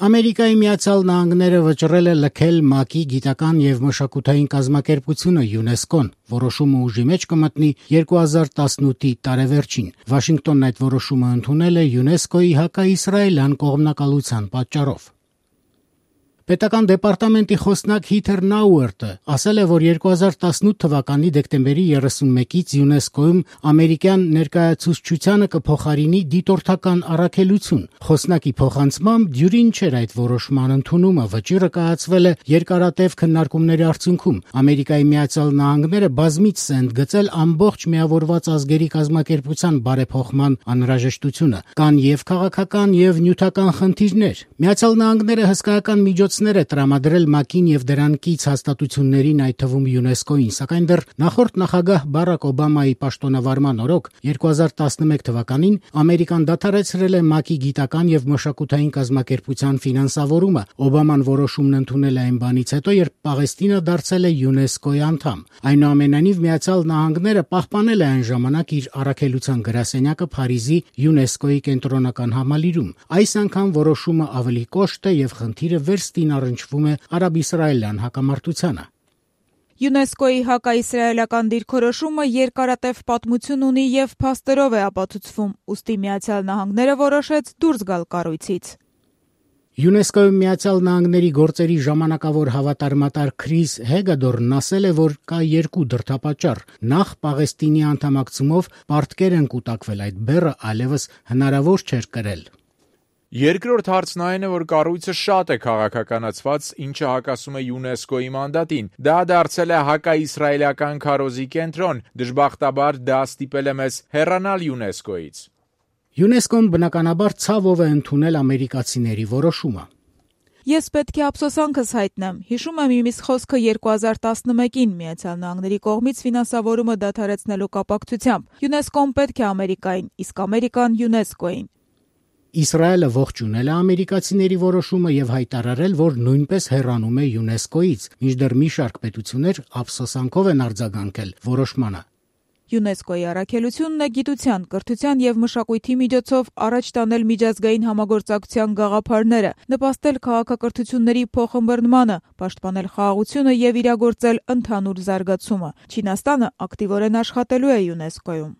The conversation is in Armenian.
Ամերիկայի Միացյալ Նահանգները վճռել է լքել ՄԱԿ-ի գիտական եւ մշակութային կազմակերպությունը ՅՈՒՆԵՍԿՕ-ն, որոշումը ուժի մեջ կմտնի 2018-ի տարեվերջին։ Վաշինգտոնն այդ որոշումը ընդունել է ՅՈՒՆԵՍԿՕ-ի հակաիսրայելյան կողմնակալության պատճառով։ Պետական դեպարտամենտի խոսնակ Հիթեր Նաուերտը ասել է, որ 2018 թվականի դեկտեմբերի 31-ից ՅՈՒՆԵՍԿՕ-ում ամերիկյան ներկայացուցչությանը կփոխարինի դիտորդական առաքելություն։ Խոսնակի փոխանցմամբ դյուրին չէր այդ որոշման ընդունումը, վճիռը կայացվել է երկարատև քննարկումների արդյունքում։ Ամերիկայի Միացյալ Նահանգները բազմիցս է ընդգծել ամբողջ միավորված ազգերի կազմակերպության բարեփոխման անհրաժեշտությունը։ Կան եւ քաղաքական եւ նյութական խնդիրներ։ Միացյալ Նահանգները հսկայական միջոցներ է տրամադրել ՄԱԿ-ին եւ դրան կից հաստատություններին, այդ թվում ՅՈՒՆԵՍԿՕ-ին, սակայն դեռ նախորդ նախագահ Բարաք Օբամայի պաշտոնավարման օրոք 2011 թվականին Ամերիկան դադարեցրել է ՄԱԿ-ի գիտական եւ մշակութային կազմակերպության ֆինանսավորումը։ Օբաման որոշումն ընդունել է այն բանից հետո, երբ Պաղեստինը դարձել է ՅՈՒՆԵՍԿՕ-ի անդամ։ Այնուամենայնիվ Միացյալ Նահանգները պահպանել է այն ժամանակ իր առաքելության գրասենյակը Փարիզի ՅՈՒՆԵՍԿՕ-ի կենտրոնական համալիրում։ Այս անգամ որոշումը ավելի կոշտ է եւ խնդիրը վերստին առնչվում է արաբ-իսրայելյան հակամարտությանը։ ՅՈՒՆԵՍԿՕ-ի հակաիսրայելական դիրքորոշումը երկարատև պատմություն ունի եւ փաստերով է ապացուցվում, ուստի Միացյալ Նահանգները որոշեց դուրս գալ կառույցից։ ՅՈՒՆԵՍԿՕ-ում Միացյալ Նահանգների գործերի ժամանակավոր հավատարմատար Քրիս Հեգադորն ասել է, որ կա երկու դրդապատճառ։ Նախ Պաղեստինի անդամակցումով պարտքեր են կուտակվել, այդ բեռը այլևս հնարավոր չէր կրել։ Երկրորդ հարցն այն է, որ կառույցը շատ է քաղաքականացված, ինչը հակասում է ՅՈՒՆԵՍԿՕ-ի մանդատին։ Դա դարձել է հակաիսրայելական քարոզի կենտրոն։ Դժբախտաբար դա ստիպել է մեզ հեռանալ ՅՈՒՆԵՍԿՕ-ից։ ՅՈՒՆԵՍԿՕ-ն բնականաբար ցավով է ընդունել ամերիկացիների որոշումը։ Ես պետք է ափսոսանքս հայտնեմ։ Հիշում եմ իմիս խոսքը 2011-ին Միացյալ Նահանգների կողմից ֆինանսավորումը դադարեցնելու կապակցությամբ։ ՅՈՒՆԵՍԿՕ-ն պետք է Ամերիկային, իսկ Ամերիկան ՅՈՒՆԵՍԿՕ-ին։ Իսրայելը ողջունել է ամերիկացիների որոշումը եւ հայտարարել, որ նույնպես հեռանում է ՅՈՒՆԵՍԿՕ-ից, մինչդեռ մի շարք պետություններ ափսոսանքով են արձագանքել որոշմանը։ ՅՈՒՆԵՍԿՕ-ի առաքելությունն է գիտության, կրթության եւ մշակույթի միջոցով առաջ տանել միջազգային համագործակցության գաղափարները, նպաստել քաղաքակրթությունների փոխըմբռնմանը, պաշտպանել խաղաղությունը եւ իրագործել ընդհանուր զարգացումը։ Չինաստանը ակտիվորեն աշխատելու է ՅՈՒՆԵՍԿՕ-ում։